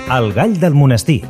El gall del monestir.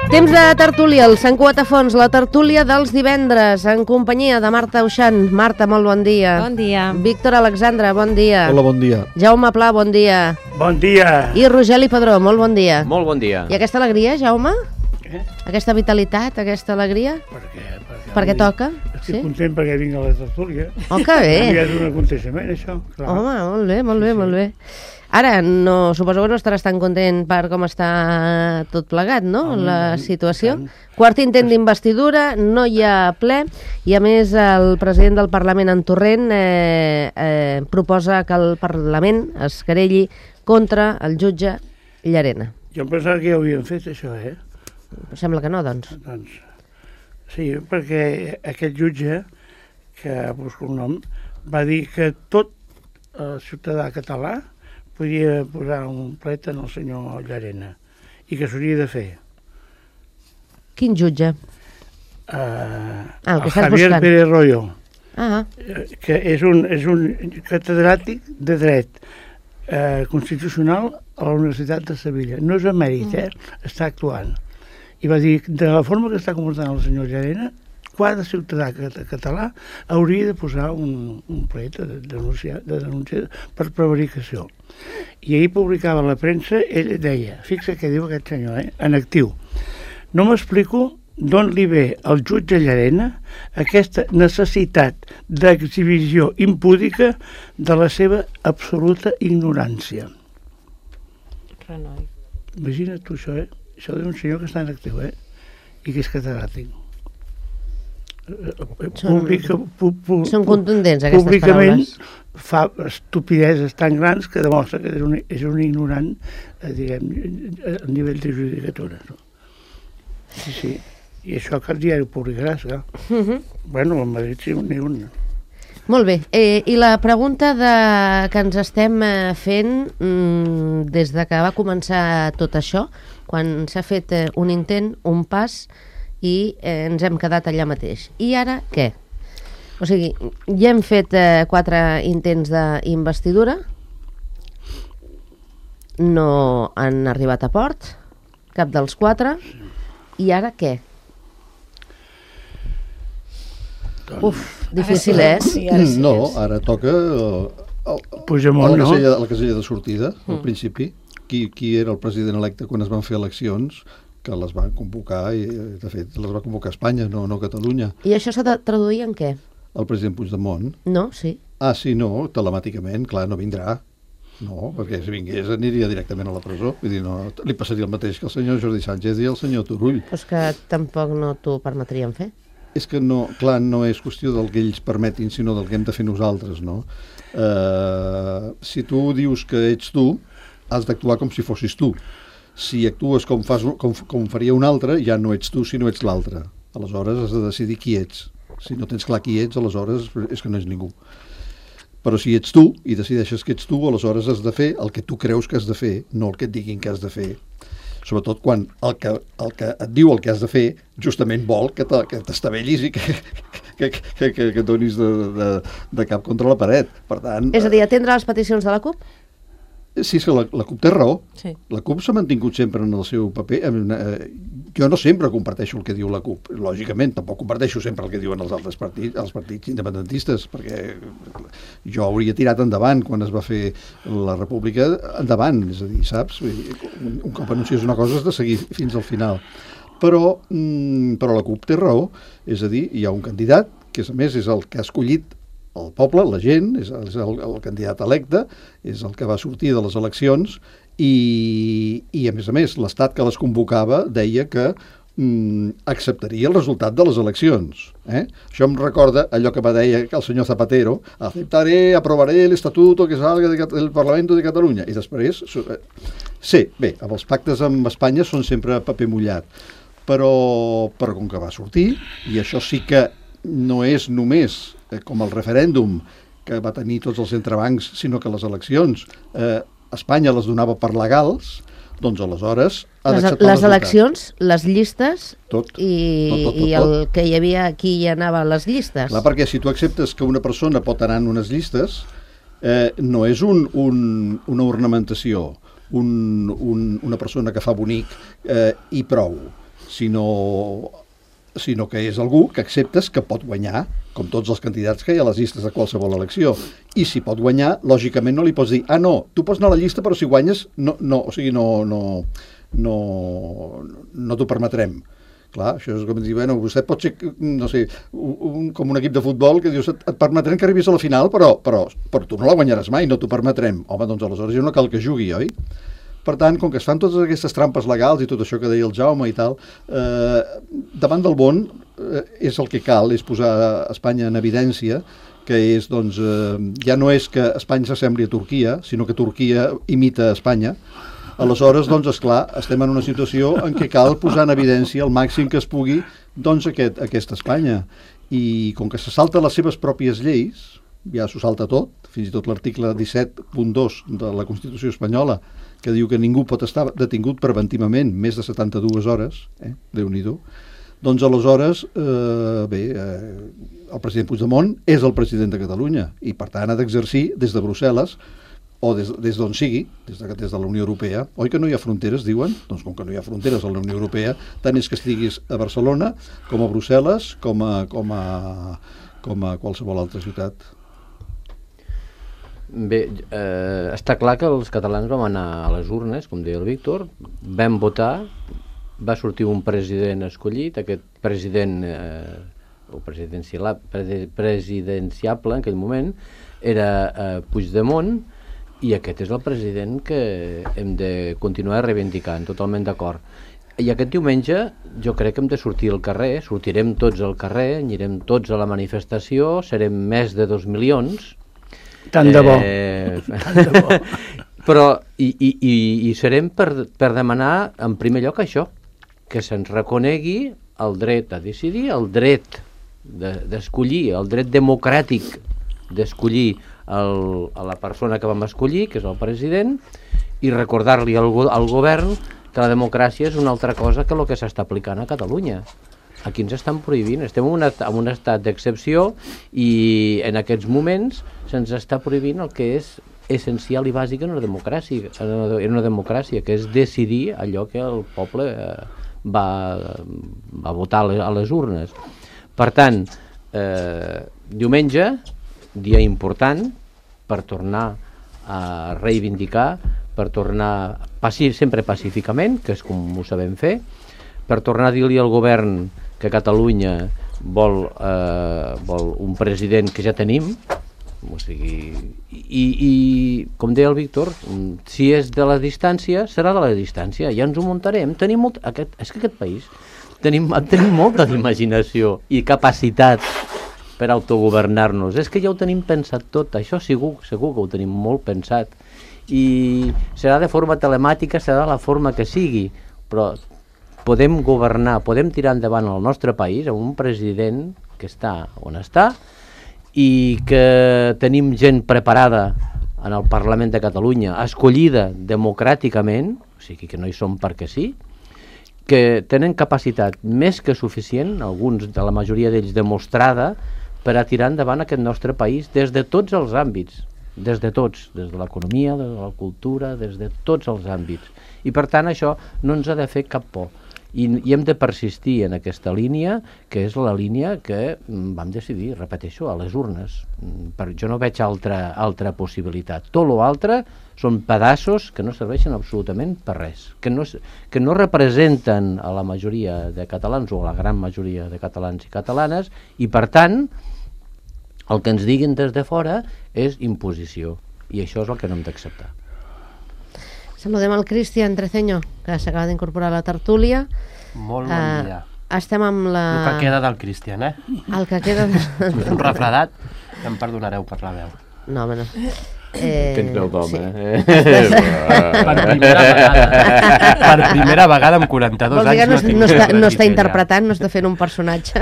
Temps de tertúlia, el Sant Cugat a Fons, la tertúlia dels divendres, en companyia de Marta Auxant. Marta, molt bon dia. Bon dia. Víctor Alexandre, bon dia. Hola, bon dia. Jaume Pla, bon dia. Bon dia. I Rogeli Padró, molt bon dia. Molt bon dia. I aquesta alegria, Jaume? Què? Aquesta vitalitat, aquesta alegria? Perquè toca? Estic content perquè vinc a la tertúlia. Oh, que bé. Ja és un aconteixement, això. Clar. Home, molt bé, molt bé, molt bé. Ara, no, suposo que no estaràs tan content per com està tot plegat, no?, la situació. Quart intent d'investidura, no hi ha ple, i a més el president del Parlament, en Torrent, proposa que el Parlament es querelli contra el jutge Llarena. Jo em pensava que ja ho havien fet, això, Sembla que no, doncs. Doncs, sí, perquè aquest jutge, que busco un nom, va dir que tot ciutadà català podia posar un plet en el senyor Llarena i que s'hauria de fer. Quin jutge? El que estàs Javier buscant. Pérez Royo, Ah, que és un catedràtic de dret constitucional a la Universitat de Sevilla. No és emèrit, està actuant. I va dir, de la forma que està comportant el senyor Llarena, cada ciutadà català hauria de posar un plet de denúncia per prevaricació. I ahir publicava a la premsa, ell deia, fixa què diu aquest senyor, en actiu: no m'explico d'on li ve al jutge Llarena aquesta necessitat d'exhibició impúdica de la seva absoluta ignorància. Renoi. Imagina't tu això, Això d'un senyor que està en actiu, i que és catedràtic. són contundents aquestes Públicament paraules. fa estupideses tan grans que demostra que és un ignorant, diguem, a nivell de judicatura. No? Sí. I això que el diari ho publicarà, clar. Bueno, a Madrid sí, ni un. Molt bé, i la pregunta que ens estem fent des de que va començar tot això, quan s'ha fet un intent, un pas, i ens hem quedat allà mateix. I ara què? O sigui, ja hem fet 4 intents d'investidura, no han arribat a port, cap dels 4, i ara què? Uf, difícil, Sí, ara sí. No, ara toca Puigdemont, no? la casella de sortida, al principi. Qui era el president electe quan es van fer eleccions, que les van convocar, i de fet les va convocar Espanya, no Catalunya. I això s'ha de traduir en què? El president Puigdemont. No, sí. Ah, sí, no, telemàticament, clar, no vindrà. No, perquè si vingués aniria directament a la presó. Vull dir, no, li passaria el mateix que el senyor Jordi Sánchez i el senyor Turull. Però és que tampoc no t'ho permetrien fer. És que no, clar, no és qüestió del que ells permetin, sinó del que hem de fer nosaltres, no? Si tu dius que ets tu, has d'actuar com si fossis tu. Si actues com faria un altre, ja no ets tu, sinó ets l'altre. Aleshores has de decidir qui ets. Si no tens clar qui ets, aleshores és que no ets ningú. Però si ets tu i decideixes que ets tu, aleshores has de fer el que tu creus que has de fer, no el que et diguin que has de fer. Sobretot quan el que et diu el que has de fer justament vol que t'estavellis i que donis de cap contra la paret. Per tant, És a dir, atendre les peticions de la CUP? sí, és que la CUP té raó. Sí. La CUP s'ha mantingut sempre en el seu paper. Jo no sempre comparteixo el que diu la CUP, lògicament, tampoc comparteixo sempre el que diuen els altres partits, els partits independentistes, perquè jo hauria tirat endavant quan es va fer la República, endavant, és a dir, saps? Un cop anunciés una cosa has de seguir fins al final. Però la CUP té raó, és a dir, hi ha un candidat que a més és el que ha escollit el poble, la gent, és el candidat electe, és el que va sortir de les eleccions i a més, l'Estat que les convocava deia que acceptaria el resultat de les eleccions. Això em recorda allò que va dir el senyor Zapatero: aprovaré el estatuto que salga del Parlamento de Catalunya. I després, sí, bé, els pactes amb Espanya són sempre paper mullat, però com que va sortir, i això sí que no és només com el referèndum, que va tenir tots els entrebancs, sinó que les eleccions Espanya les donava per legals, doncs aleshores ha d'acceptar el resultat. Les eleccions, les llistes tot. I el que hi havia aquí hi anava a les llistes. Clar, perquè si tu acceptes que una persona pot anar en unes llistes, no és una ornamentació, una persona que fa bonic i prou, sinó que és algú que acceptes que pot guanyar, com tots els candidats que hi ha a les llistes de qualsevol elecció. I si pot guanyar, lògicament no li pots dir no, tu pots anar a la llista però si guanyes no t'ho permetrem. Clar, això és com dir, vostè pot ser, no sé, com un equip de futbol que dius, et permetrem que arribis a la final, però tu no la guanyaràs mai, no t'ho permetrem. Home, doncs aleshores ja no cal que jugui, oi? Per tant, com que es fan totes aquestes trampes legals i tot això que deia el Jaume i tal, davant del món és el que cal, és posar Espanya en evidència, que és, doncs, ja no és que Espanya s'assembli a Turquia, sinó que Turquia imita Espanya. Aleshores, doncs, esclar, estem en una situació en què cal posar en evidència el màxim que es pugui, doncs, aquesta Espanya. I com que se salta les seves pròpies lleis, ja s'ho salta tot, fins i tot l'article 17.2 de la Constitució espanyola, que diu que ningú pot estar detingut preventivament més de 72 hores, Déu-n'hi-do, doncs aleshores, el president Puigdemont és el president de Catalunya i per tant ha d'exercir des de Brussel·les o des d'on sigui, des de la Unió Europea. Oi que no hi ha fronteres, diuen? Doncs com que no hi ha fronteres a la Unió Europea, tant és que estiguis a Barcelona com a Brussel·les com a qualsevol altra ciutat. Bé, està clar que els catalans vam anar a les urnes, com deia el Víctor, vam votar, va sortir un president escollit, aquest president presidenciable en aquell moment era Puigdemont, i aquest és el president que hem de continuar reivindicant, totalment d'acord. I aquest diumenge jo crec que hem de sortir al carrer, sortirem tots al carrer, anirem tots a la manifestació, serem més de 2 milions, tant de bo. Tant de bo. Però i serem per demanar en primer lloc això, que se'ns reconegui el dret a decidir, el dret d'escollir, el dret democràtic d'escollir a la persona que vam escollir, que és el president, i recordar-li al govern que la democràcia és una altra cosa que el que s'està aplicant a Catalunya. Aquí ens estan prohibint, estem en un estat d'excepció i en aquests moments se'ns està prohibint el que és essencial i bàsic en una democràcia, que és decidir allò que el poble va votar a les urnes. Per tant, diumenge, dia important per tornar a reivindicar, per tornar sempre pacíficament, que és com ho sabem fer, per tornar a dir-li al govern que Catalunya vol un president que ja tenim, o sigui, i com deia el Víctor, si és de la distància, serà de la distància, ja ens ho muntarem. És que aquest país tenim molta imaginació i capacitat per autogovernar-nos. És que ja ho tenim pensat tot, això segur que ho tenim molt pensat, i serà de forma telemàtica, serà de la forma que sigui, però podem governar, podem tirar endavant el nostre país amb un president que està on està i que tenim gent preparada en el Parlament de Catalunya, escollida democràticament, o sigui que no hi som perquè sí, que tenen capacitat més que suficient, alguns de la majoria d'ells demostrada, per a tirar endavant aquest nostre país des de tots els àmbits, des de l'economia, des de la cultura, des de tots els àmbits. I per tant això no ens ha de fer cap por. I hem de persistir en aquesta línia, que és la línia que vam decidir, repeteixo, a les urnes. Jo no veig altra possibilitat. Tot l'altre són pedaços que no serveixen absolutament per res, que no representen a la majoria de catalans o a la gran majoria de catalans i catalanes, i per tant el que ens diguin des de fora és imposició, i això és el que no hem d'acceptar. Saludem el Cristian Treceño, que s'acaba d'incorporar a la tertúlia. Molt bon dia. Estem amb la... El que queda del Cristian, eh? El que queda... Un refredat, que em perdonareu per la veu. No, home, no. Tens veu d'home, sí. Per primera vegada amb 42 Vols dir anys que no està interpretant, no està fent un personatge.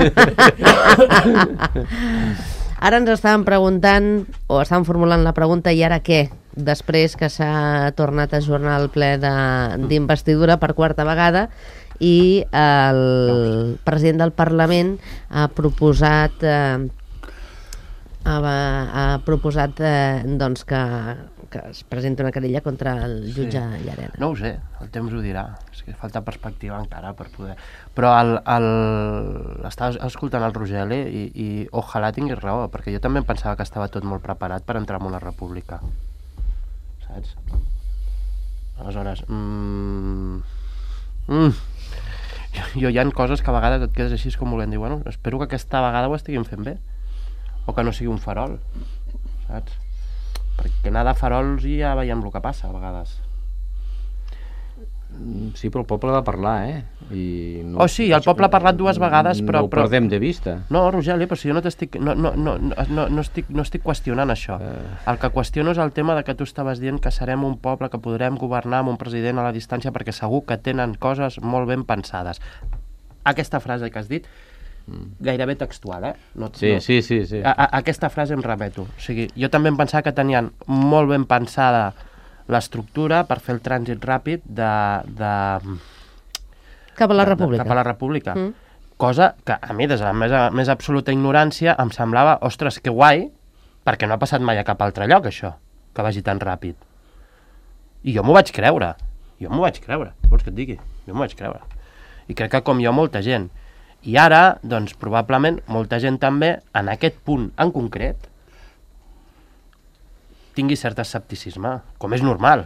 Ara ens estàvem preguntant, o estàvem formulant la pregunta, i ara què? Després que s'ha tornat a ajornar el ple d'investidura per quarta vegada i el president del Parlament ha proposat doncs que es presenti una querella contra el jutge Llarena. No ho sé, el temps ho dirà. És que falta perspectiva encara per poder... Però estava escoltant el Rogeli i ojalà tinguis raó, perquè jo també em pensava que estava tot molt preparat per entrar en una república. Saps? Aleshores... Jo hi ha coses que a vegades et quedes així com volent dir, bueno, espero que aquesta vegada ho estiguin fent bé. O que no sigui un farol, saps? Perquè anar de farols i ja veiem el que passa a vegades. Sí, però el poble va parlar, eh? Sí, el poble ha parlat 2 vegades, però... No ho perdem de vista. No, Rogeli, però si jo no t'estic... No estic qüestionant això. El que qüestiono és el tema de que tu estaves dient que serem un poble que podrem governar amb un president a la distància perquè segur que tenen coses molt ben pensades. Aquesta frase que has dit, gairebé textual, Sí. A aquesta frase em remeto. O sigui, jo també em pensava que tenien molt ben pensada l'estructura per fer el trànsit ràpid cap a la República. Cap a la República. Cosa que a mi, des de la més absoluta ignorància, em semblava, ostres, que guai, perquè no ha passat mai a cap altre lloc, això, que vagi tan ràpid. I jo m'ho vaig creure. Vols que et digui? Jo m'ho vaig creure. I crec que com jo, molta gent. I ara, doncs, probablement, molta gent també, en aquest punt en concret, tingui cert escepticisme, com és normal.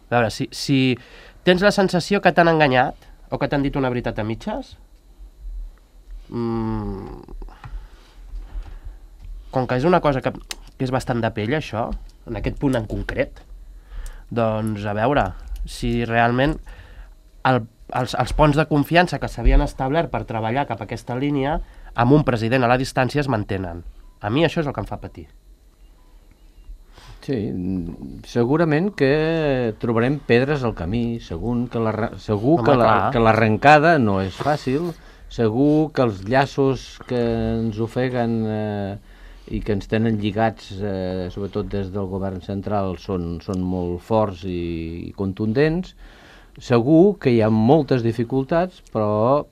A veure, si tens la sensació que t'han enganyat o que t'han dit una veritat a mitges, com que és una cosa que és bastant de pell, això, en aquest punt en concret, doncs, a veure, si realment els ponts de confiança que s'havien establert per treballar cap a aquesta línia amb un president a la distància es mantenen. A mi això és el que em fa patir. Sí, segurament que trobarem pedres al camí, segur que l'arrencada no és fàcil, segur que els llaços que ens ofeguen i que ens tenen lligats, sobretot des del govern central, són molt forts i contundents. Segur que hi ha moltes dificultats, però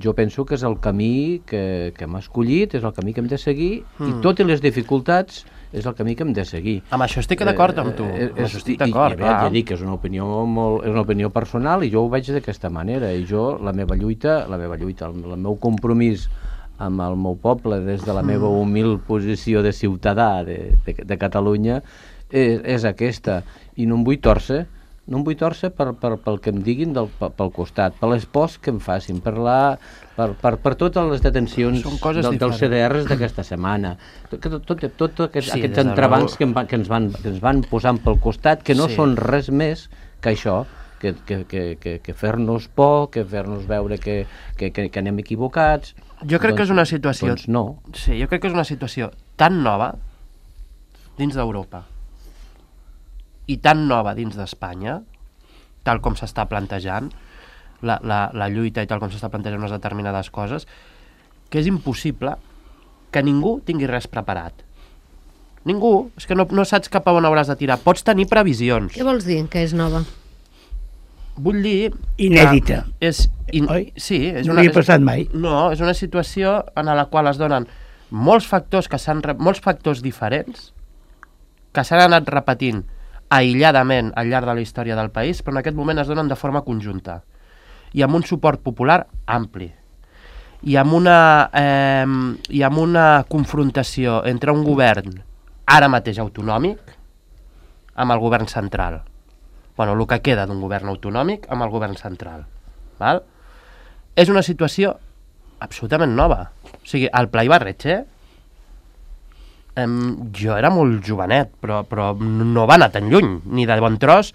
jo penso que és el camí que hem escollit, és el camí que hem de seguir, i tot i les dificultats és el camí que hem de seguir. Amb això estic d'acord amb tu. Amb això estic d'acord, clar. Ja dic que és una opinió personal i jo ho veig d'aquesta manera. I jo, la meva lluita, el meu compromís amb el meu poble des de la meva humil posició de ciutadà de Catalunya és aquesta. I no em vull tòrcer pel que em diguin pel costat, per les pors que em facin, per totes les detencions dels CDRs d'aquesta setmana, tots aquests entrebancs que ens van posant pel costat, que no són res més que això, que fer-nos por, que fer-nos veure que anem equivocats. Jo crec que és una situació... Doncs no. Sí, jo crec que és una situació tan nova dins d'Europa i tan nova dins d'Espanya, tal com s'està plantejant la lluita i tal com s'està plantejant unes determinades coses, que és impossible que ningú tingui res preparat. Ningú. És que no saps cap a on hauràs de tirar. Pots tenir previsions. Què vols dir, que és nova? Vull dir... Inèdita. Oi? Sí. No havia passat mai. No, és una situació en la qual es donen molts factors diferents que s'han anat repetint aïlladament al llarg de la història del país, però en aquest moment es donen de forma conjunta i amb un suport popular ampli i amb una confrontació entre un govern ara mateix autonòmic amb el govern central. Bueno, el que queda d'un govern autonòmic amb el govern central. Val? És una situació absolutament nova. O sigui, el Pla Ibarretxe jo era molt jovenet, però no va anar tan lluny, ni de bon tros,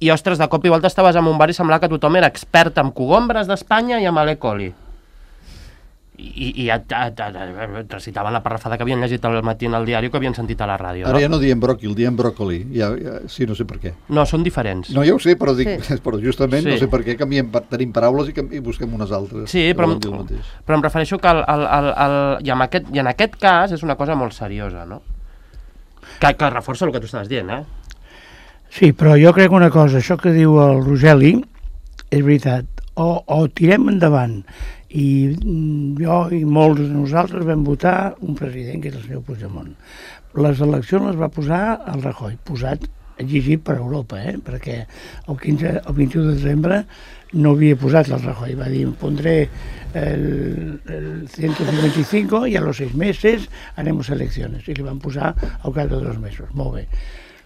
i ostres, de cop i volta estaves en un bar i semblava que tothom era expert en cogombres d'Espanya i amb Ale Coli. I ja recitaven la parrafada que havien llegit al matí en el diari o que havien sentit a la ràdio. Ara ja no diem bròquil, diem bròcoli. Sí, no sé per què. No, són diferents. No, ja ho sé, però, però justament Sí. no sé per què tenim paraules i busquem unes altres. Sí, però em refereixo que i en aquest cas és una cosa molt seriosa, no? Que reforça el que tu estaves dient, eh? Sí, però jo crec una cosa, això que diu el Rogeli és veritat, o tirem endavant, i jo i molts de nosaltres vam votar un president que és el senyor Puigdemont. Les eleccions les va posar el Rajoy, posat, exigit per Europa, perquè el 21 de desembre no havia posat el Rajoy, va dir, pondré el 155 y a los 6 meses haremos elecciones, i li van posar al cap de 2 mesos, molt bé.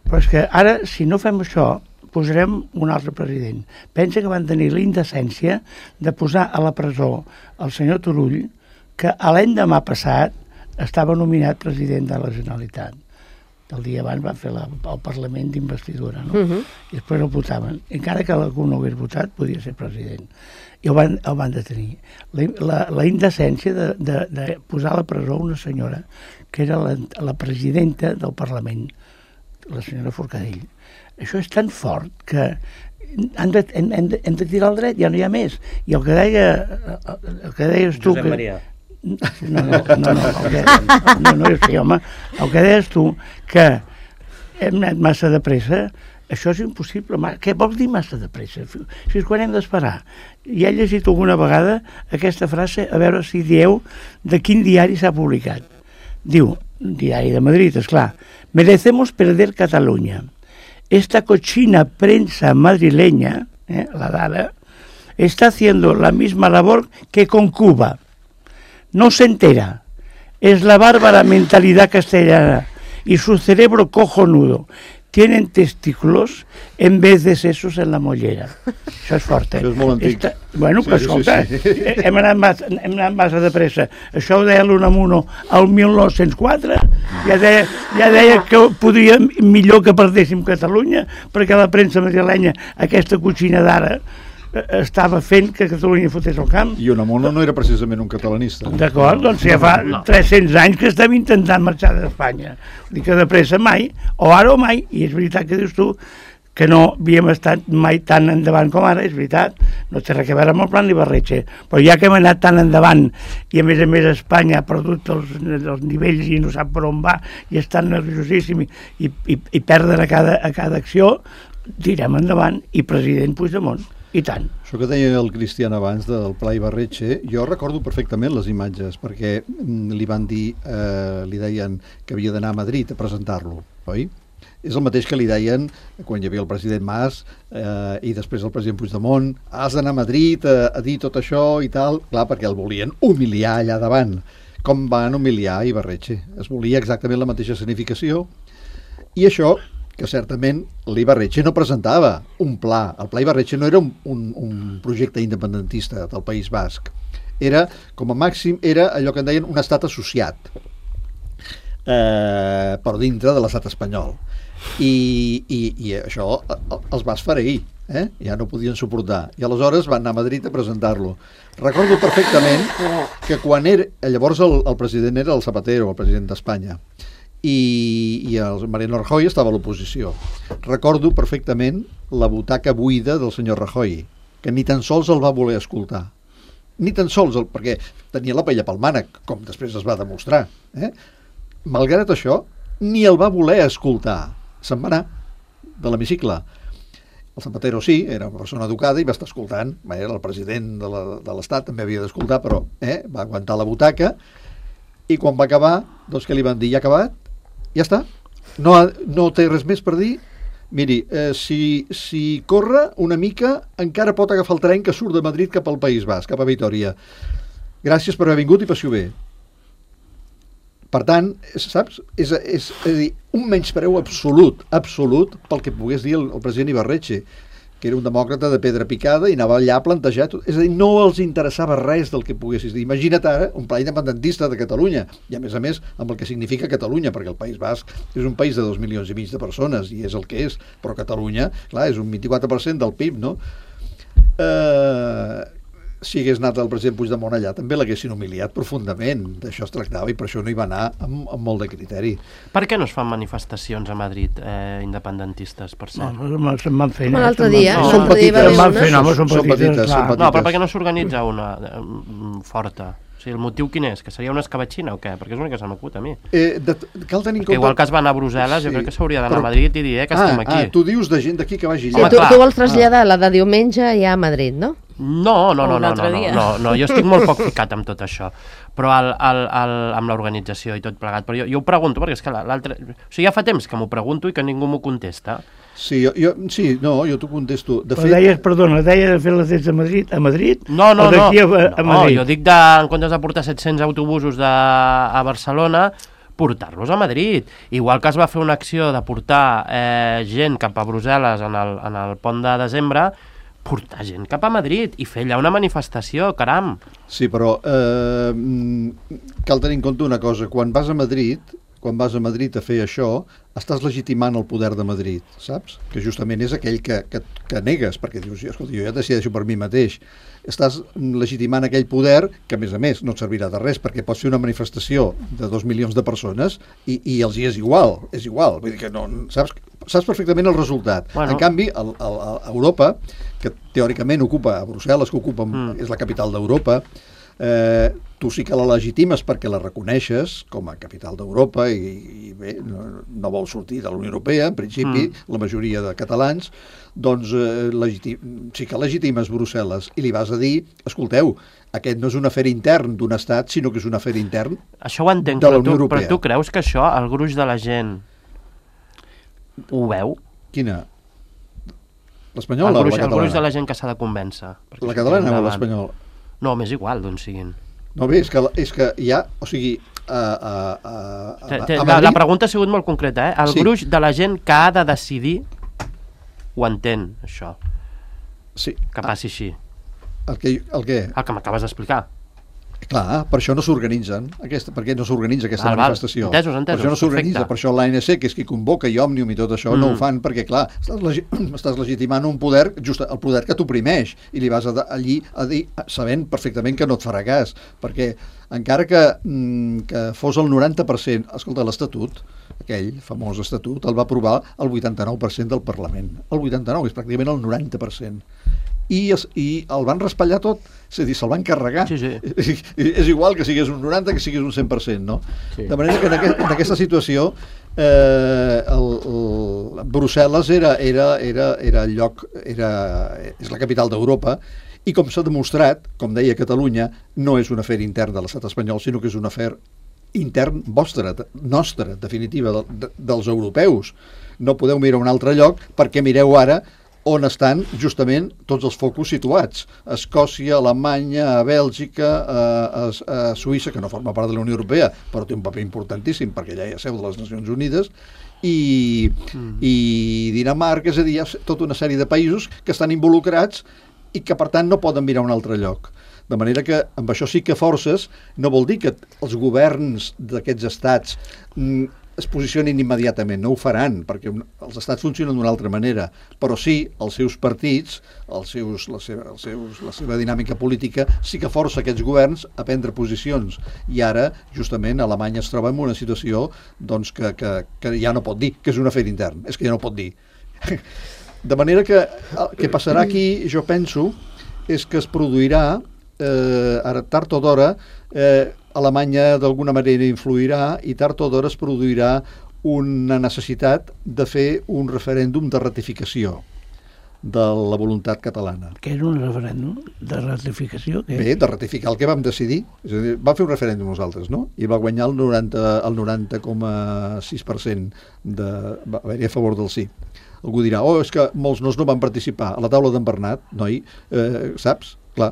Però és que ara, si no fem això, posarem un altre president. Pensa que van tenir la indecència de posar a la presó el senyor Turull, que l'endemà passat estava nominat president de la Generalitat. El dia abans van fer el Parlament d'investidura, no? I després el votaven. Encara que algú no hagués votat, podia ser president. I el van detenir. La indecència de posar a la presó una senyora que era la presidenta del Parlament, la senyora Forcadell. Això és tan fort que hem de tirar al dret, ja no hi ha més. I el que deies tu... Josep Maria. No, sí, home. El que deies tu, que hem anat massa de pressa, això és impossible. Què vols dir massa de pressa? Si és quan hem d'esperar. I he llegit alguna vegada aquesta frase, a veure si dieu de quin diari s'ha publicat. Diu, diari de Madrid, esclar, merecemos perder Cataluña. Esta cochina prensa madrileña, la d'ara, está haciendo la misma labor que con Cuba. No se entera. Es la bárbara mentalidad castellana y su cerebro cojonudo. Tienen testículos en vez de sesos en la mollera. Això és fort, Això és molt antic. Bueno, però escolta, hem anat massa de pressa. Això ho deia l'Unamuno al 1904. Ja deia que podria millor que perdéssim Catalunya, perquè la premsa madrilenya, aquesta cotxina d'ara, estava fent que Catalunya fotés el camp. I Unamuno no era precisament un catalanista. D'acord, doncs ja fa 300 anys que estem intentant marxar d'Espanya. Dic que de pressa mai, o ara o mai, i és veritat que dius tu que no havíem estat mai tan endavant com ara, és veritat, no té res a veure amb el plan Ibarretxe, però ja que hem anat tan endavant i a més Espanya ha perdut els nivells i no sap per on va i està nerviosíssim i perden a cada acció, tirem endavant i president Puigdemont. I tant. Això que deia el Cristian abans del Pla Ibarretxe, jo recordo perfectament les imatges, perquè li van dir, li deien que havia d'anar a Madrid a presentar-lo, oi? És el mateix que li deien quan hi havia el president Mas i després el president Puigdemont, has d'anar a Madrid a dir tot això i tal, clar, perquè el volien humiliar allà davant. Com van humiliar Ibarretxe? Es volia exactament la mateixa escenificació i això que certament l'Ibarretxe no presentava un pla. El pla Ibarretxe no era un projecte independentista del País Basc. Era, com a màxim, era allò que en deien un estat associat, però dintre de l'estat espanyol. I això els va esfereir, ja no podien suportar. I aleshores van anar a Madrid a presentar-lo. Recordo perfectament que quan llavors el president era el Zapatero, el president d'Espanya, i el Mariano Rajoy estava a l'oposició. Recordo perfectament la butaca buida del senyor Rajoy, que ni tan sols el va voler escoltar. Ni tan sols, perquè tenia la paella pel mànec, com després es va demostrar. Malgrat això, ni el va voler escoltar. Se'n va anar de l'hemicicle. El Zapatero sí, era una persona educada i va estar escoltant. Era el president de l'Estat, també havia d'escoltar, però va aguantar la butaca. I quan va acabar, doncs què li van dir? Ja ha acabat? Ja està? No té res més per dir? Miri, si corre una mica, encara pot agafar el tren que surt de Madrid cap al País Basc, cap a Vitòria. Gràcies per haver vingut i passi-ho bé. Per tant, saps? És a dir, un menyspreu absolut pel que pogués dir el president Ibarretxe, que era un demòcrata de pedra picada i anava allà a plantejar tot. És a dir, no els interessava res del que poguessis dir. Imagina't ara un pla independentista de Catalunya, i a més, amb el que significa Catalunya, perquè el País Basc és un país de 2,5 milions de persones, i és el que és, però Catalunya, clar, és un 24% del PIB, no? Si hagués anat el president Puigdemont allà també l'haguessin humiliat profundament, d'això es tractava, i per això no hi va anar amb molt de criteri. Per què no es fan manifestacions a Madrid independentistes, per cert? No, se'n van fer. L'altre dia, Són petites. Se'n van fer, no, són petites. No, però per què no s'organitza una forta? O sigui, el motiu quin és? Que seria una escabatxina o què? Perquè és l'únic que se m'acut a mi. Cal tenir en compte... Igual que es va anar a Brussel·les, jo crec que s'hauria d'anar a Madrid i dir que estem aquí. Tu dius de gent d'aquí que vagi Sí, allà. tu vols traslladar la de diumenge ja a Madrid, no? No, jo estic molt poc ficat amb tot això, però amb l'organització i tot plegat, però jo ho pregunto, perquè és que l'altre... O sigui, ja fa temps que m'ho pregunto i que ningú m'ho contesta. Sí, jo t'ho contesto. De fet... Deies de fer les tests a Madrid? No, o d'aquí a Madrid? No, jo dic en comptes de portar 700 autobusos a Barcelona, portar-los a Madrid. Igual que es va fer una acció de portar gent cap a Brussel·les en el pont de desembre, portar gent cap a Madrid i fer allà una manifestació, caram. Sí, però cal tenir en compte una cosa. Quan vas a Madrid a fer això, estàs legitimant el poder de Madrid, saps? Que justament és aquell que negues, perquè dius, escolta, jo ja decideixo per mi mateix. Estàs legitimant aquell poder que, a més, no et servirà de res, perquè pots fer una manifestació de 2 milions de persones i els hi és igual. Vull dir que no, saps perfectament el resultat. Bueno. En canvi, a Europa, que teòricament ocupa, a Brussel·les, que ocupa, és la capital d'Europa, tu sí que la legitimes perquè la reconeixes com a capital d'Europa i bé, no vol sortir de la Unió Europea, en principi, la majoria de catalans, doncs sí que legitimes Brussel·les i li vas a dir, escolteu, aquest no és un afer intern d'un estat, sinó que és un afer intern això ho entenc, de la Unió Europea. Però tu creus que això, el gruix de la gent ho veu? Quina? L'espanyola o la catalana? El gruix de la gent que s'ha de convèncer. La catalana o l'espanyola? No, m'és igual d'on siguin. No, bé, és que hi ha... O sigui, la pregunta ha sigut molt concreta, eh? El gruix de la gent que ha de decidir ho entén, això. Sí. Que passi així. El què? El que m'acabes d'explicar. Clar, per això no s'organitzen, perquè no s'organitza aquesta manifestació. Entesos. Per això no s'organitza, per això l'ANC, que és qui convoca, i Òmnium i tot això, no ho fan, perquè, clar, estàs legitimant un poder, just el poder que t'oprimeix, i li vas allí a dir, sabent perfectament que no et farà cas, perquè encara que fos el 90%, escolta, l'Estatut, aquell famós Estatut, el va aprovar el 89% del Parlament. El 89%, és pràcticament el 90%. I el van raspallar tot, és a dir, se'l van carregar. Sí. És igual que sigués un 90 que sigués un 100%, no? Sí. De manera que en aquesta situació Brussel·les era el lloc, és la capital d'Europa, i com s'ha demostrat, com deia Catalunya, no és un afer intern de l'estat espanyol, sinó que és un afer intern nostre, definitiva, dels europeus. No podeu mirar a un altre lloc perquè mireu ara on estan justament tots els focus situats. A Escòcia, a Alemanya, a Bèlgica, a Suïssa, que no forma part de la Unió Europea, però té un paper importantíssim perquè allà hi ha seu de les Nacions Unides, i Dinamarca, és a dir, hi ha tota una sèrie de països que estan involucrats i que, per tant, no poden mirar a un altre lloc. De manera que, amb això sí que forces, no vol dir que els governs d'aquests estats es posicionin immediatament, no ho faran, perquè els estats funcionen d'una altra manera, però sí, els seus partits, la seva dinàmica política, sí que força aquests governs a prendre posicions. I ara, justament, Alemanya es troba en una situació doncs, que ja no pot dir, que és un afer intern, és que ja no pot dir. De manera que el que passarà aquí, jo penso, és que es produirà, ara tard o d'hora, Alemanya d'alguna manera influirà i tard o d'hora es produirà una necessitat de fer un referèndum de ratificació de la voluntat catalana. Què és un referèndum de ratificació? Bé, de ratificar el que vam decidir. És a dir, vam fer un referèndum nosaltres, no? I va guanyar el 90,6% va haver-hi a favor del sí. Algú dirà, és que molts no van participar. A la taula d'en Bernat, noi, saps? Clar.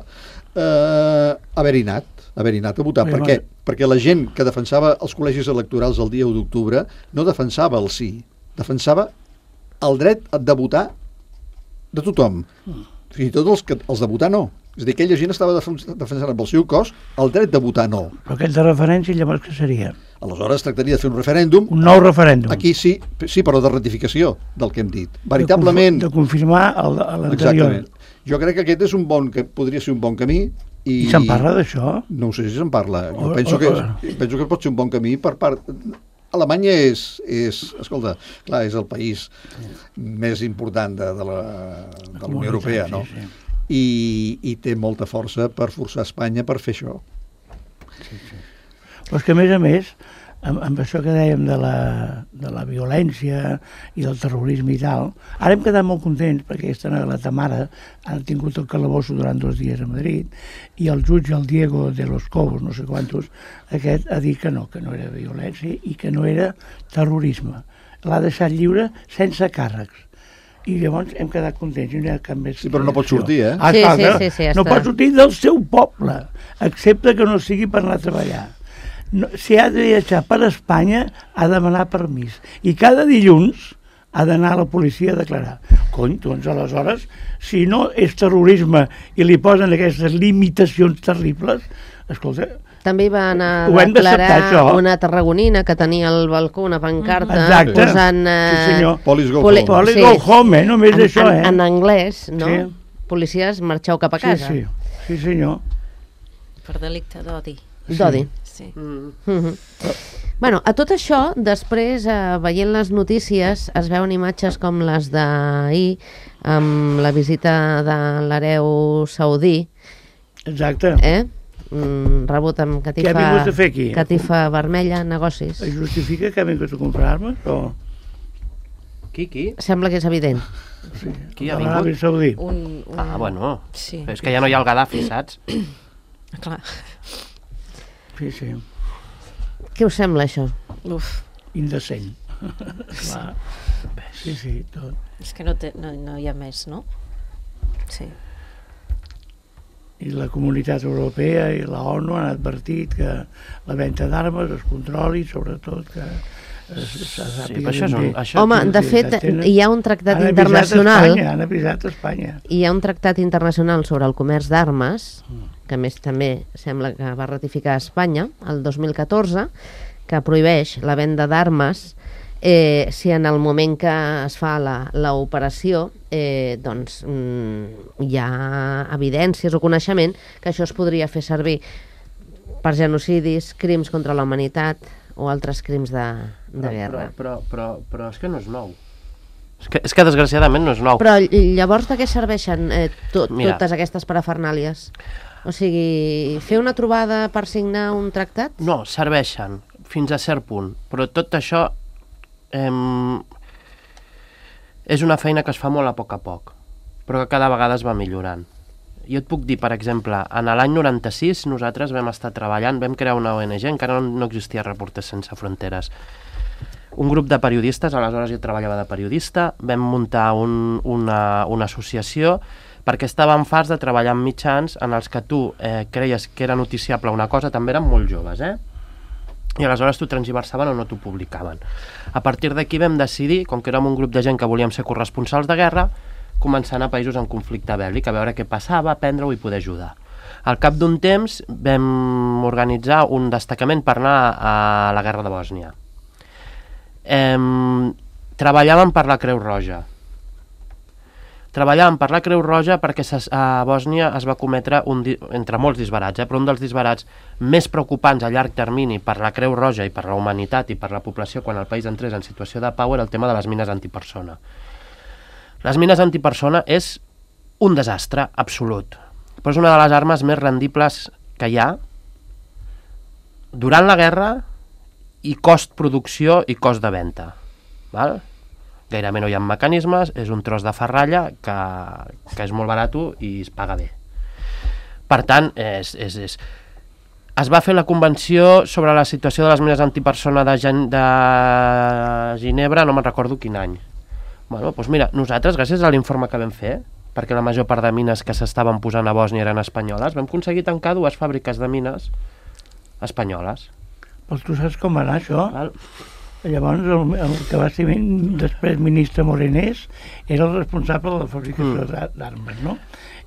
Haver-hi anat a votar. Per què? Perquè la gent que defensava els col·legis electorals el dia 1 d'octubre no defensava el sí, defensava el dret de votar de tothom. Fins i tot els de votar no. És a dir, aquella gent estava defensant amb el seu cos el dret de votar no. Però aquest de referència llavors què seria? Aleshores tractaria de fer un referèndum. Un nou referèndum. Aquí sí, però de ratificació del que hem dit. Veritablement... De confirmar l'anterior. Exactament. Jo crec que aquest és podria ser un bon camí. I se'n parla d'això? No ho sé si se'n parla. Jo penso que pot ser un bon camí per part... Alemanya escolta, clar, és el país més important de la Unió Europea, no? Sí. I té molta força per forçar Espanya per fer això. Sí. Però és que, a més, amb això que dèiem de la violència i del terrorisme i tal, ara hem quedat molt contents perquè aquesta nena, la Tamara, ha tingut el calabosso durant 2 dies a Madrid i el jutge, el Diego de los Cobos, no sé quantos, aquest ha dit que no era violència i que no era terrorisme. L'ha deixat lliure sense càrrecs. I llavors hem quedat contents, no hi ha cap més... Sí, però no pot sortir, eh? Sí, no pot sortir del seu poble, excepte que no sigui per anar a treballar. No, si ha de viatjar per Espanya, ha de demanar permís. I cada dilluns ha d'anar a la policia a declarar. Cony, doncs aleshores, si no és terrorisme i li posen aquestes limitacions terribles, escolta... També va anar a declarar una tarragonina que tenia al balcó una pancarta posant... Sí, senyor. Police go home. Police go home, només això, eh? En anglès, no? Sí. Policies, marxeu cap a casa. Sí, senyor. Per delicte d'odi. D'odi. Sí. Bueno, a tot això, després, veient les notícies, es veuen imatges com les d'ahir, amb la visita de l'hereu saudí. Exacte. Rebut amb catifa vermella, negocis. Es justifica que ha vingut a comprar armes? O... Qui? Sembla que és evident. Sí. Qui ha vingut? Saudí. Bueno. Sí. És que ja no hi ha el Gaddafi, saps? Clar. Sí. Què us sembla, això? Uf. Indecent. Clar. Sí, tot. És que no hi ha més, no? Sí. I la comunitat europea i la ONU han advertit que la venda d'armes es controli, sobretot que Home, de fet, hi ha un tractat internacional... Han avisat Espanya. Hi ha un tractat internacional sobre el comerç d'armes, que a més també sembla que va ratificar Espanya el 2014, que prohibeix la venda d'armes si en el moment que es fa l'operació doncs hi ha evidències o coneixement que això es podria fer servir per genocidis, crims contra la humanitat o altres crims de guerra. Però és que no és nou. És que desgraciadament no és nou. Però llavors de què serveixen totes aquestes parafernàlies? O sigui, fer una trobada per signar un tractat? No, serveixen fins a cert punt, però tot això és una feina que es fa molt a poc, però que cada vegada es va millorant. Jo et puc dir, per exemple, en l'any 96 nosaltres vam estar treballant, vam crear una ONG, encara no existia Reporters Sense Fronteres. Un grup de periodistes, aleshores jo treballava de periodista, vam muntar una associació perquè estàvem farts de treballar amb mitjans en els que tu creies que era noticiable una cosa, també eren molt joves, i aleshores t'ho transversaven o no t'ho publicaven. A partir d'aquí vam decidir, com que érem un grup de gent que volíem ser corresponsals de guerra, començar a anar a països en conflicte bèl·lic, a veure què passava, aprendre-ho i poder ajudar. Al cap d'un temps vam organitzar un destacament per anar a la guerra de Bòsnia. Treballàvem per la Creu Roja. Treballàvem per la Creu Roja perquè a Bòsnia es va cometre, entre molts disbarats, però un dels disbarats més preocupants a llarg termini per la Creu Roja i per la humanitat i per la població quan el país entrés en situació de pau era el tema de les mines antipersona. Les mines antipersona és un desastre absolut, però és una de les armes més rendibles que hi ha durant la guerra i cost producció i cost de venda. Val? Gairebé no hi ha mecanismes, és un tros de ferralla que és molt barat i es paga bé. Per tant, es va fer la convenció sobre la situació de les mines antipersona de Ginebra, no me'n recordo quin any. Bueno, doncs mira, nosaltres, gràcies a l'informe que vam fer, perquè la major part de mines que s'estaven posant a Bòsnia eren espanyoles, vam aconseguir tancar 2 fàbriques de mines espanyoles. Però tu saps com va anar això? Llavors, el que va ser després ministre Morenés era el responsable de la fabricació d'armes, no?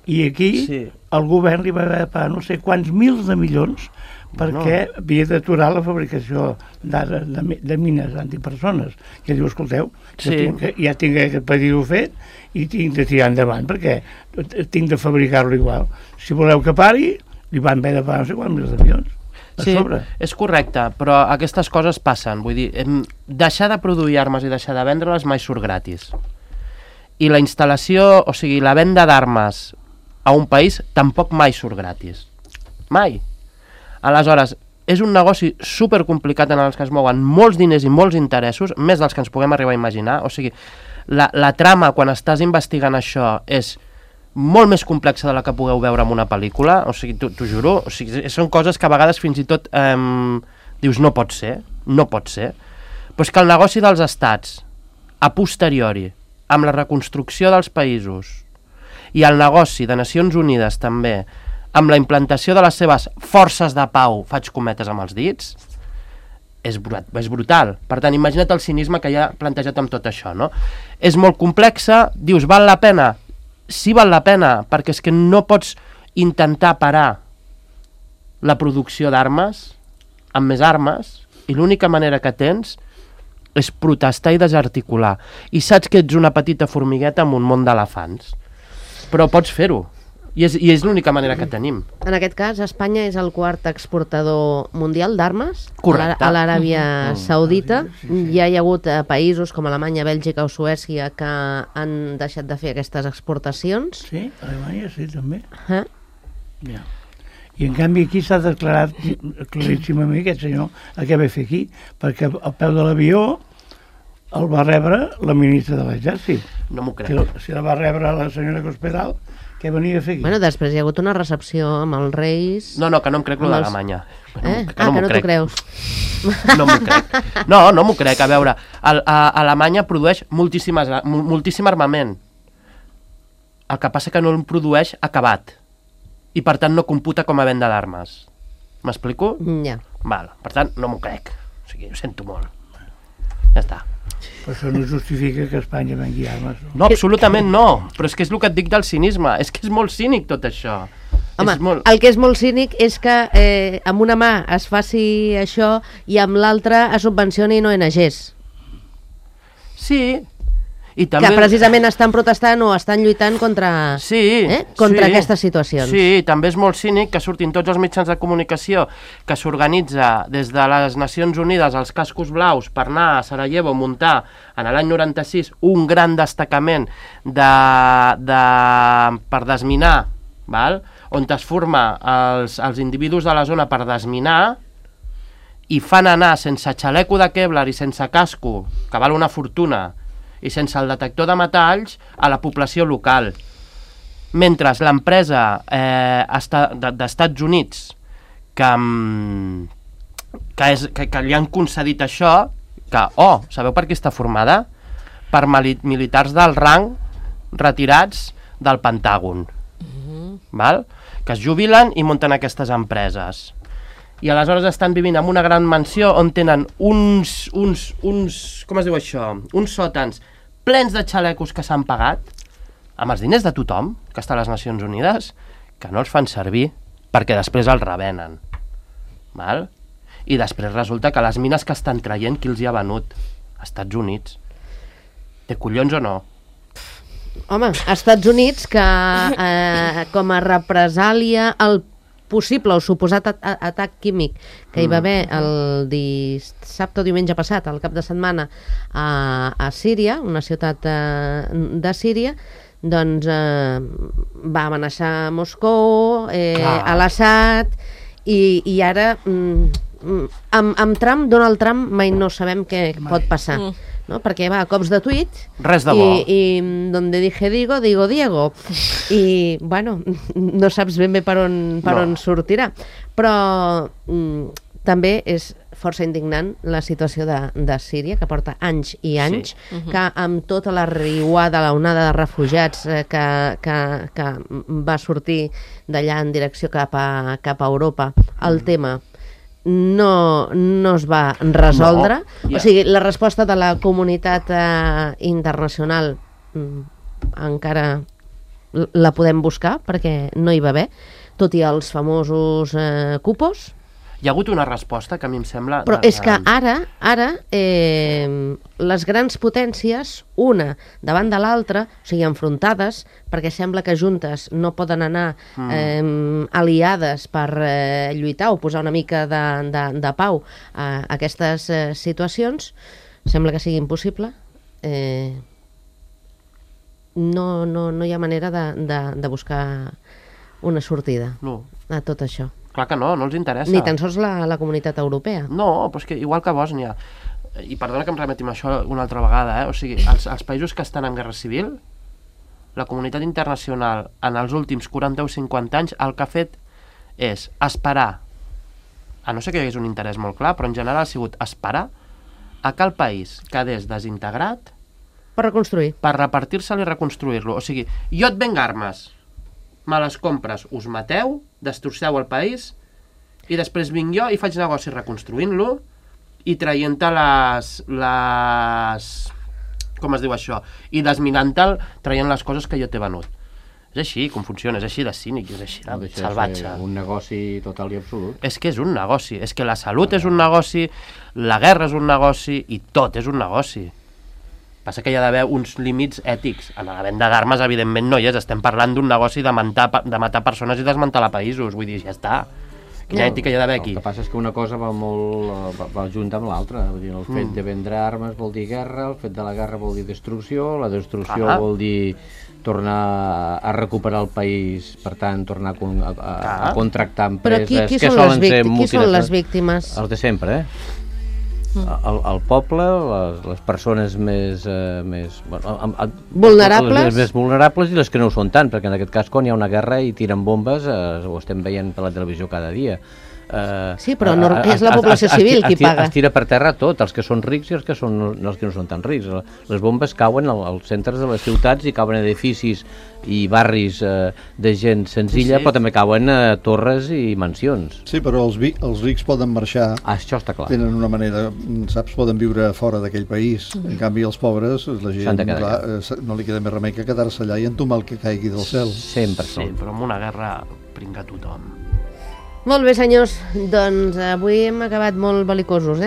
I aquí el govern li va haver de pagar no sé quants mils de milions perquè havia d'aturar la fabricació de mines antipersones. I diu, escolteu, ja tinc aquest pedido fet i tinc de tirar endavant perquè tinc de fabricar-lo igual. Si voleu que pari, li van haver de pagar no sé quants mils de milions. Sí, és correcte, però aquestes coses passen. Vull dir, deixar de produir armes i deixar de vendre-les mai surt gratis. I la instal·lació, o sigui, la venda d'armes a un país tampoc mai surt gratis. Mai. Aleshores, és un negoci supercomplicat en el que es mouen molts diners i molts interessos, més dels que ens puguem arribar a imaginar. O sigui, la trama, quan estàs investigant això, és molt més complexa de la que pugueu veure en una pel·lícula, o sigui, t'ho juro, o sigui, són coses que a vegades fins i tot dius, no pot ser, però és que el negoci dels estats, a posteriori, amb la reconstrucció dels països, i el negoci de Nacions Unides també, amb la implantació de les seves forces de pau, faig cometes amb els dits, és brutal. Per tant, imagina't el cinisme que hi ha plantejat amb tot això, no? És molt complexa, dius, val la pena? Sí, val la pena, perquè és que no pots intentar parar la producció d'armes amb més armes i l'única manera que tens és protestar i desarticular. I saps que ets una petita formigueta en un món d'elefants, però pots fer-ho. I és l'única manera que tenim. En aquest cas, Espanya és el quart exportador mundial d'armes a l'Aràbia Saudita. Ja hi ha hagut països com Alemanya, Bèlgica o Suècia que han deixat de fer aquestes exportacions. Sí, Alemanya sí, també. Ja. I en canvi aquí s'ha declarat claríssimament aquest senyor el que ve a fer aquí, perquè al peu de l'avió el va rebre la ministra de l'Exèrcit. No m'ho crec. Si la va rebre la senyora Cospedal, què venia a fer aquí? Bueno, després hi ha hagut una recepció amb els reis... No, que no em crec lo d'Alemanya. Que no t'ho creus. No m'ho crec. No m'ho crec. A veure, Alemanya produeix moltíssim armament. El que passa que no el produeix acabat. I per tant no computa com a venda d'armes. M'explico? Ja. Val, per tant no m'ho crec. O sigui, ho sento molt. Ja està. Però això no justifica que Espanya vengui armes. No, absolutament no. Però és que és el que et dic del cinisme. És que és molt cínic tot això. Home, el que és molt cínic és que amb una mà es faci això i amb l'altra es subvencioni ONGs. Sí. I també... Que precisament estan protestant o estan lluitant contra aquestes situacions. Sí, també és molt cínic que surtin tots els mitjans de comunicació que s'organitza des de les Nacions Unides els cascos blaus per anar a Sarajevo a muntar en l'any 96 un gran destacament per desminar, val? On es forma els individus de la zona per desminar i fan anar sense xaleco de Kevlar i sense casco, que val una fortuna, i sense el detector de metalls a la població local. Mentre l'empresa d'Estats Units que li han concedit això, que, sabeu per què està formada? Per militars del rang retirats del Pentàgon. Val? Que es jubilen i munten aquestes empreses. I aleshores estan vivint en una gran mansió on tenen uns com es diu això? Uns sòtans plens de xalecos que s'han pagat amb els diners de tothom que està a les Nacions Unides, que no els fan servir perquè després els revenen. Val? I després resulta que les mines que estan traient, qui els hi ha venut? Estats Units. Té collons o no? Home, Estats Units que com a represàlia al possible o suposat atac químic que hi va haver el dissabte o diumenge passat, al cap de setmana, a Síria, una ciutat de Síria, doncs va amenaçar Moscou, a l'Assad, i ara amb Trump, Donald Trump, mai no sabem què pot passar. No? Perquè va a cops de tuit res de bo. I donde dije digo Diego, i bueno, no saps ben bé per on sortirà, però també és força indignant la situació de Síria, que porta anys i anys, que amb tota la riuada, la onada de refugiats que va sortir d'allà en direcció cap a Europa, el tema no es va resoldre. No, O sigui, la resposta de la comunitat internacional encara la podem buscar perquè no hi va haver, tot i els famosos cupos. Hi ha hagut una resposta que a mi em sembla... Però és que ara les grans potències, una davant de l'altra, o sigui, enfrontades, perquè sembla que juntes no poden anar aliades per lluitar o posar una mica de pau a aquestes situacions, sembla que sigui impossible. No hi ha manera de buscar una sortida a tot això. Clar que no els interessa. Ni tan sols la comunitat europea. No, però és que igual que Bòsnia, i perdona que em remeti amb això una altra vegada, o sigui, els països que estan en guerra civil, la comunitat internacional en els últims 40 o 50 anys el que ha fet és esperar, a no ser que hi hagués un interès molt clar, però en general ha sigut esperar a que el país quedés desintegrat per reconstruir. Per repartir-se'l i reconstruir-lo. O sigui, jo et venc armes, me les compres, us mateu, destrosseu el país, i després vinc jo i faig negoci reconstruint-lo i traient-te les... com es diu això? I desminant-te'l, traient les coses que jo t'he venut. És així com funciona, és així de cínic, és així de salvatge. Un negoci total i absolut. És que és un negoci, és que la salut és un negoci, la guerra és un negoci i tot és un negoci. Passa que hi ha d'haver uns límits ètics. En la venda d'armes, evidentment, no hi és. Estem parlant d'un negoci de matar persones i desmantelar països. Vull dir, ja està. Quina ètica hi ha d'haver aquí? El que passa és que una cosa va junta amb l'altra. El fet de vendre armes vol dir guerra, el fet de la guerra vol dir destrucció, la destrucció vol dir tornar a recuperar el país, per tant, tornar a contractar empreses que solen ser multinacionals. Qui són les víctimes? Els de sempre, el poble, les persones més vulnerables i les que no ho són tant, perquè en aquest cas quan hi ha una guerra i tiren bombes ho estem veient per la televisió cada dia. Sí, però és la població civil qui paga. Es tira per terra tot, els que són rics i els que no són tan rics. Les bombes cauen als centres de les ciutats i cauen edificis i barris de gent senzilla, però també cauen torres i mansions. Sí, però els rics poden marxar. Això està clar. Tenen una manera, saps, poden viure fora d'aquell país. En canvi, els pobres, la gent, no li queda més remei que quedar-se allà i entomar el que caigui del cel. Sempre. Sí, però amb una guerra pringa tothom. Molt bé, senyors, doncs avui hem acabat molt belicosos,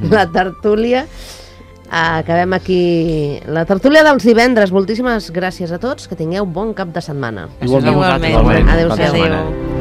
La tertúlia. Acabem aquí la tertúlia dels divendres. Moltíssimes gràcies a tots, que tingueu bon cap de setmana. Igualment. Adéu-siau.